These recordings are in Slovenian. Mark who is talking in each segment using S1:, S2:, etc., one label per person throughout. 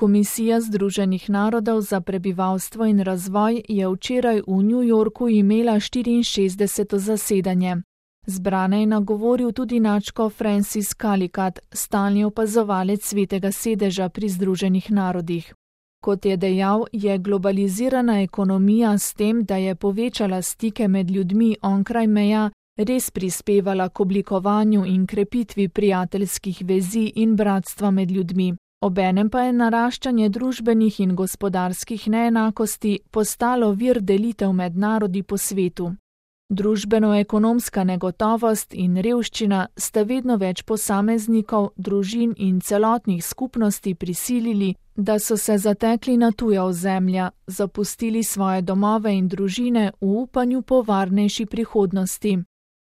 S1: Komisija Združenih narodov za prebivalstvo in razvoj je včeraj v New Yorku imela 64. zasedanje. Zbrane je nagovoril tudi nadškof Francis Calicut, stalni opazovalec Svetega sedeža pri Združenih narodih. Kot je dejal, je globalizirana ekonomija s tem, da je povečala stike med ljudmi onkraj meja, res prispevala k oblikovanju in krepitvi prijateljskih vezi in bratstva med ljudmi. Obenem pa je naraščanje družbenih in gospodarskih neenakosti postalo vir delitev med narodi po svetu. Družbeno-ekonomska negotovost in revščina sta vedno več posameznikov, družin in celotnih skupnosti prisilili, da so se zatekli na tuja ozemlja, zapustili svoje domove in družine v upanju po varnejši prihodnosti.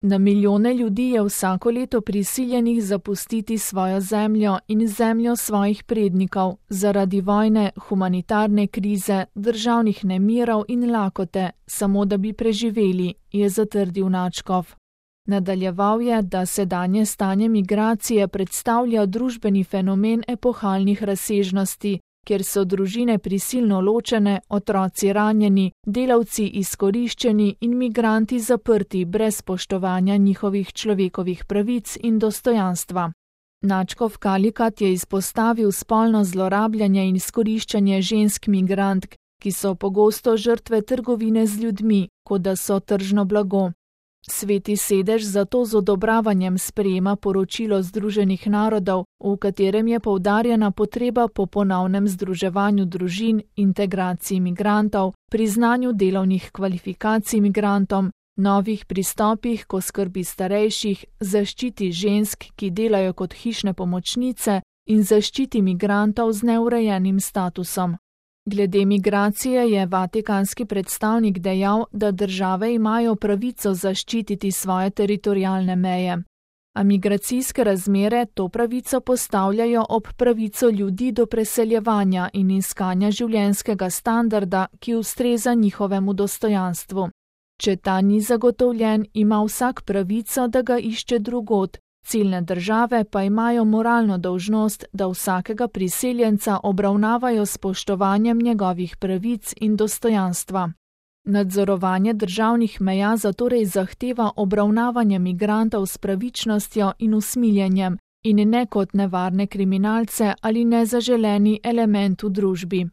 S1: Na milijone ljudi je vsako leto prisiljenih zapustiti svojo zemljo in zemljo svojih prednikov zaradi vojne, humanitarne krize, državnih nemirov in lakote, samo da bi preživeli, je zatrdil nadškof. Nadaljeval je, da sedanje stanje migracije predstavlja družbeni fenomen epohalnih razsežnosti, kjer so družine prisilno ločene, otroci ranjeni, delavci izkoriščeni in migranti zaprti brez spoštovanja njihovih človekovih pravic in dostojanstva. Nadškof Calicut je izpostavil spolno zlorabljanje in izkoriščanje žensk migrantk, ki so pogosto žrtve trgovine z ljudmi, kot da so tržno blago. Sveti sedež zato z odobravanjem sprejema poročilo Združenih narodov, v katerem je poudarjena potreba po ponovnem združevanju družin, integraciji migrantov, priznanju delovnih kvalifikacij migrantom, novih pristopih k oskrbi starejših, zaščiti žensk, ki delajo kot hišne pomočnice, in zaščiti migrantov z neurejenim statusom. Glede migracije je vatikanski predstavnik dejal, da države imajo pravico zaščititi svoje teritorialne meje. A migracijske razmere to pravico postavljajo ob pravico ljudi do preseljevanja in iskanja življenjskega standarda, ki ustreza njihovemu dostojanstvu. Če ta ni zagotovljen, ima vsak pravico, da ga išče drugod. Ciljne države pa imajo moralno dolžnost, da vsakega priseljenca obravnavajo s spoštovanjem njegovih pravic in dostojanstva. Nadzorovanje državnih meja zatorej zahteva obravnavanje migrantov s pravičnostjo in usmiljenjem in ne kot nevarne kriminalce ali nezaželeni element v družbi.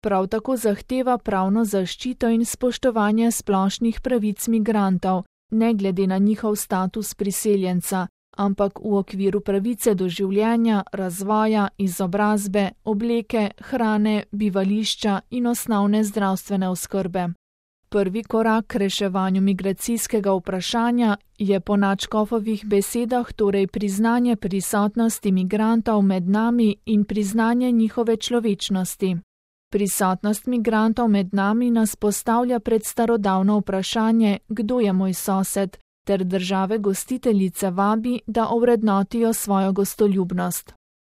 S1: Prav tako zahteva pravno zaščito in spoštovanje splošnih pravic migrantov, ne glede na njihov status priseljenca, ampak v okviru pravice do življenja, razvoja, izobrazbe, obleke, hrane, bivališča in osnovne zdravstvene oskrbe. Prvi korak k reševanju migracijskega vprašanja je po nadškofovih besedah torej priznanje prisotnosti migrantov med nami in priznanje njihove človečnosti. Prisotnost migrantov med nami nas postavlja pred starodavno vprašanje, kdo je moj sosed, ter države gostiteljice vabi, da ovrednotijo svojo gostoljubnost.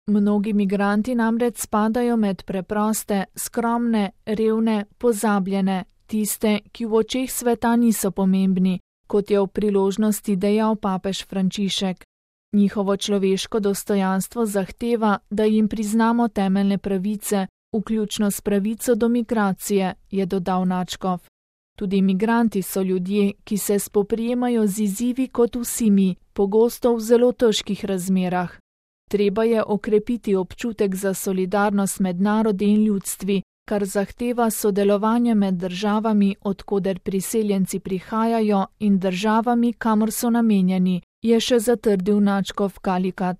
S1: Mnogi migranti namreč spadajo med preproste, skromne, revne, pozabljene, tiste, ki v očeh sveta niso pomembni, kot je v priložnosti dejal papež Frančišek. Njihovo človeško dostojanstvo zahteva, da jim priznamo temeljne pravice, vključno s pravico do migracije, je dodal nadškof. Tudi migranti so ljudje, ki se spoprijemajo z izzivi kot vsi mi, pogosto v zelo težkih razmerah. Treba je okrepiti občutek za solidarnost med narodi in ljudstvi, kar zahteva sodelovanje med državami, od koder priseljenci prihajajo, in državami, kamor so namenjeni, je še zatrdil nadškof Calicut.